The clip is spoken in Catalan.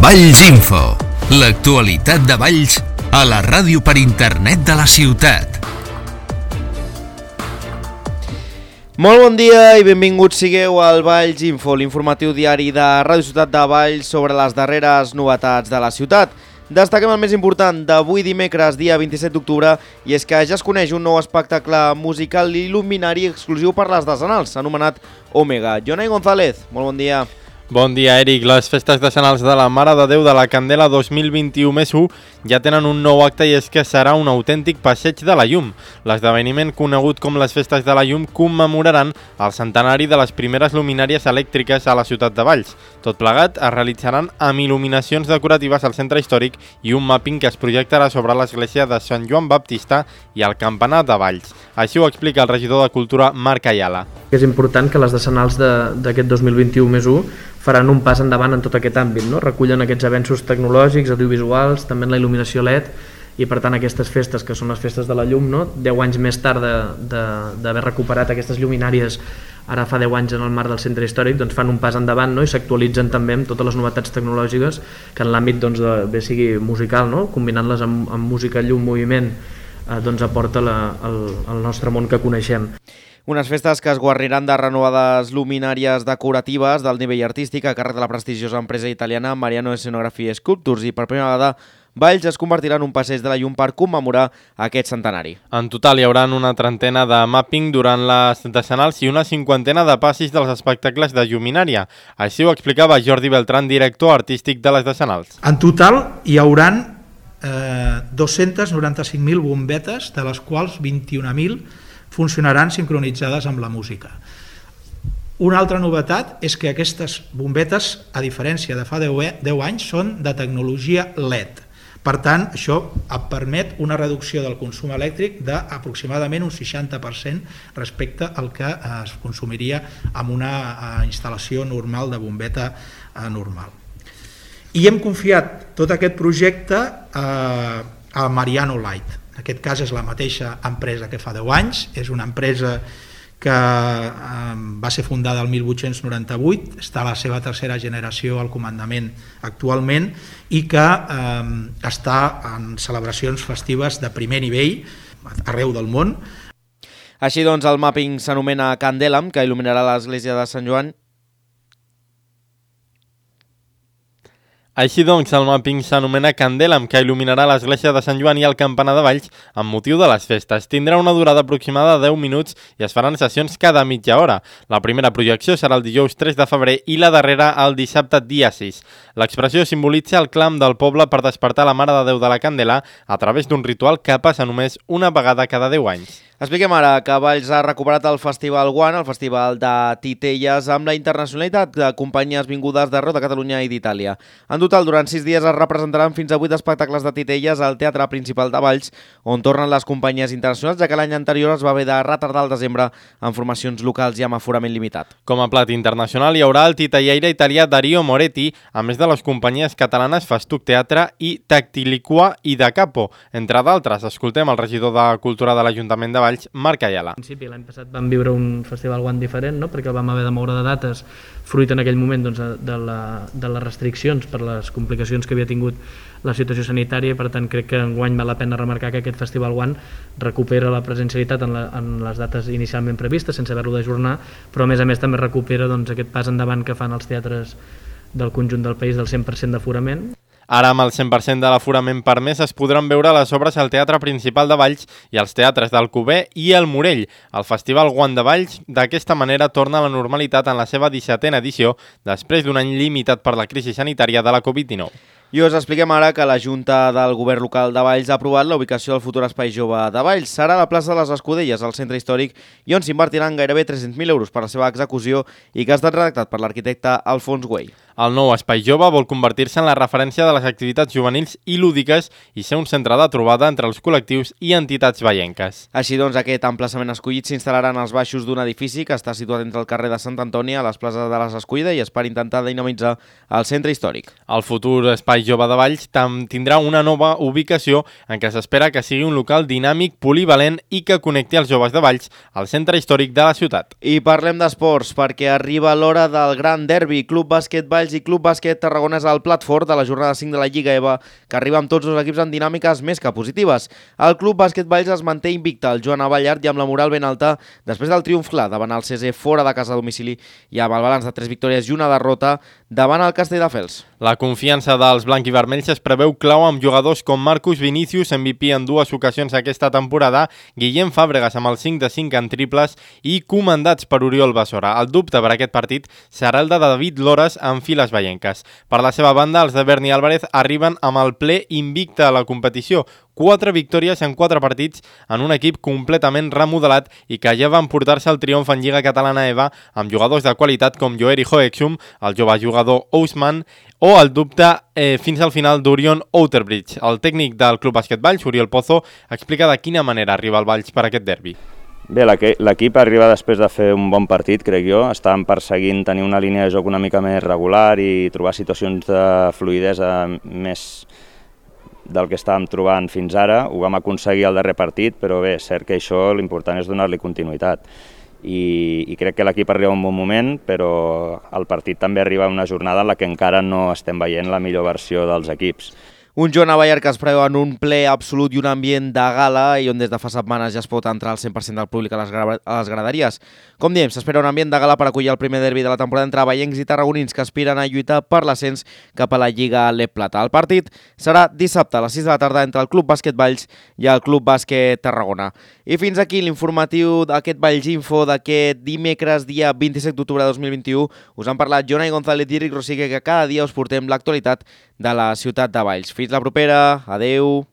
Valls Info, l'actualitat de Valls a la ràdio per internet de la ciutat. Molt bon dia i benvinguts sigueu al Valls Info, l'informatiu diari de Ràdio Ciutat de Valls sobre les darreres novetats de la ciutat. Destaquem el més important d'avui dimecres, dia 27 d'octubre, i és que ja es coneix un nou espectacle musical il·luminari exclusiu per les decenals, anomenat Òmega. Jonai González, molt bon dia. Bon dia, Eric. Les festes decenals de la Mare de Déu de la Candela 2021+1 ja tenen un nou acte i és que serà un autèntic passeig de la llum. L'esdeveniment conegut com les festes de la llum commemoraran el centenari de les primeres luminàries elèctriques a la ciutat de Valls. Tot plegat es realitzaran amb il·luminacions decoratives al centre històric i un mapping que es projectarà sobre l'església de Sant Joan Baptista i el campanar de Valls. Així ho explica el regidor de Cultura, Marc Ayala. És important que les decenals d'aquest 2021+1 faran un pas endavant en tot aquest àmbit, no? Recullen aquests avenços tecnològics, audiovisuals, també en la il·luminació LED, i per tant aquestes festes, que són les festes de la llum, no? 10 anys més tard d'haver recuperat aquestes lluminàries, ara fa 10 anys en el marc del centre històric, doncs fan un pas endavant, no? I s'actualitzen també amb totes les novetats tecnològiques que en l'àmbit doncs, bé sigui musical, no? Combinant-les amb música, llum, moviment, doncs aporta el nostre món que coneixem. Unes festes que es guarniran de renovades luminàries decoratives del nivell artístic a càrrec de la prestigiosa empresa italiana Mariano Scenography Sculptures, i per primera vegada Valls es convertirà en un passeig de la llum per commemorar aquest centenari. En total hi haurà una trentena de mapping durant les decenals i una cinquantena de passis dels espectacles de lluminària. Així ho explicava Jordi Beltrán, director artístic de les decenals. En total hi hauran 295.000 bombetes, de les quals 21.000 funcionaran sincronitzades amb la música. Una altra novetat és que aquestes bombetes, a diferència de fa 10 anys, són de tecnologia LED. Per tant, això permet una reducció del consum elèctric d'aproximadament un 60% respecte al que es consumiria amb una instal·lació normal de bombeta normal. I hem confiat tot aquest projecte a Mariano Light. En aquest cas és la mateixa empresa que fa 10 anys, és una empresa que va ser fundada el 1898, està a la seva tercera generació al comandament actualment i que està en celebracions festives de primer nivell arreu del món. Així doncs, el mapping s'anomena Candelam, que il·luminarà l'església de Sant Joan. Així doncs, el mapping s'anomena Candelam, que il·luminarà l'església de Sant Joan i el campanar de Valls amb motiu de les festes. Tindrà una durada aproximada de 10 minuts i es faran sessions cada mitja hora. La primera projecció serà el dijous 3 de febrer i la darrera el dissabte dia 6. L'expressió simbolitza el clam del poble per despertar la Mare de Déu de la Candela a través d'un ritual que passa només una vegada cada 10 anys. Expliquem ara que Valls ha recuperat el Festival One, el festival de titelles, amb la internacionalitat de companyies vingudes d'arreu de Catalunya i d'Itàlia. En total, durant 6 dies es representaran fins a 8 espectacles de titelles al Teatre Principal de Valls, on tornen les companyies internacionals, ja que l'any anterior es va haver de retardar al desembre en formacions locals i amb aforament limitat. Com a plat internacional hi haurà el titellaire italià Dario Moretti, a més de les companyies catalanes Festuc Teatre i Tactiliqua i Da Capo, entre d'altres. Escoltem el regidor de Cultura de l'Ajuntament de Valls, Marc Ayala. En principi, l'any passat vam viure un festival One diferent, no? Perquè el vam haver de moure de dates fruit en aquell moment doncs, de les restriccions per les complicacions que havia tingut la situació sanitària, i per tant crec que enguany val la pena remarcar que aquest festival One recupera la presencialitat en les dates inicialment previstes sense haver-lo d'ajornar, però a més també recupera doncs, aquest pas endavant que fan els teatres del conjunt del país del 100% d'aforament. Ara, amb el 100% de l'aforament permès, es podran veure les obres al Teatre Principal de Valls i als teatres d'Alcover i el Morell. El Festival One de Valls, d'aquesta manera, torna a la normalitat en la seva 17a edició, després d'un any limitat per la crisi sanitària de la Covid-19. I us expliquem ara que la Junta del Govern Local de Valls ha aprovat la ubicació del futur Espai Jove de Valls. Serà a la plaça de les Escudelles, al centre històric, i on s'invertiran gairebé 300.000 euros per la seva execució i que ha estat redactat per l'arquitecte Alfons Güell. El nou Espai Jove vol convertir-se en la referència de les activitats juvenils i lúdiques i ser un centre de trobada entre els col·lectius i entitats vallenques. Així doncs, aquest emplaçament escollit s'instal·larà en els baixos d'un edifici que està situat entre el carrer de Sant Antoni, a les places de les Escollides, i es per intentar dinamitzar el centre històric. El futur Espai Jove de Valls tindrà una nova ubicació en què s'espera que sigui un local dinàmic, polivalent i que connecti els joves de Valls al centre històric de la ciutat. I parlem d'esports, perquè arriba l'hora del gran derbi. Club Bàsquet Valls Valls i Club Bàsquet Tarragona és el plat fort de la jornada 5 de la Lliga EVA, que arriba amb tots els equips amb dinàmiques més que positives. El Club Bàsquet Valls es manté invicte al Joan Abellard i amb la moral ben alta després del triomf clar davant el CC fora de casa a domicili i amb el balanç de 3 victòries i una derrota davant el Castelldefels. La confiança dels blanc-i-vermells es preveu clau amb jugadors com Marcus Vinicius, MVP en 2 ocasions aquesta temporada, Guillem Fàbregas amb el 5 de 5 en triples i comandats per Oriol Basora. El dubte per aquest partit serà el de David Lores en files veienques. Per la seva banda, els de Berni Álvarez arriben amb el ple invicte a la competició, 4 victòries en 4 partits en un equip completament remodelat i que ja van portar-se el triomf en Lliga Catalana EVA amb jugadors de qualitat com Joeri Hoexum, el jove jugador Ousman o el dubte fins al final d'Orion Outerbridge. El tècnic del Club Bàsquet Valls, Oriol Pozo, explica de quina manera arriba el Valls per aquest derbi. Bé, l'equip arriba després de fer un bon partit, crec jo. Estàvem perseguint tenir una línia de joc una mica més regular i trobar situacions de fluïdesa més del que estàvem trobant fins ara. Ho vam aconseguir al darrer partit, però bé, és cert que això l'important és donar-li continuïtat. I crec que l'equip arriba a un bon moment, però el partit també arriba a una jornada en la que encara no estem veient la millor versió dels equips. Un Joan Abellard que es preveu en un ple absolut i un ambient de gala i on des de fa setmanes ja es pot entrar al 100% del públic a les graderies. Com diem, s'espera un ambient de gala per acollir el primer derbi de la temporada entre veiencs i tarragonins que aspiren a lluitar per l'ascens cap a la Lliga LEP Plata. El partit serà dissabte a les 6 de la tarda entre el Club Bàsquet Valls i el Club Bàsquet Tarragona. I fins aquí l'informatiu d'aquest Valls Info d'aquest dimecres, dia 27 d'octubre de 2021. Us han parlat Jonai González i Eric Rosique, que cada dia us portem l'actualitat de la ciutat de Valls. Fins la propera, adeu!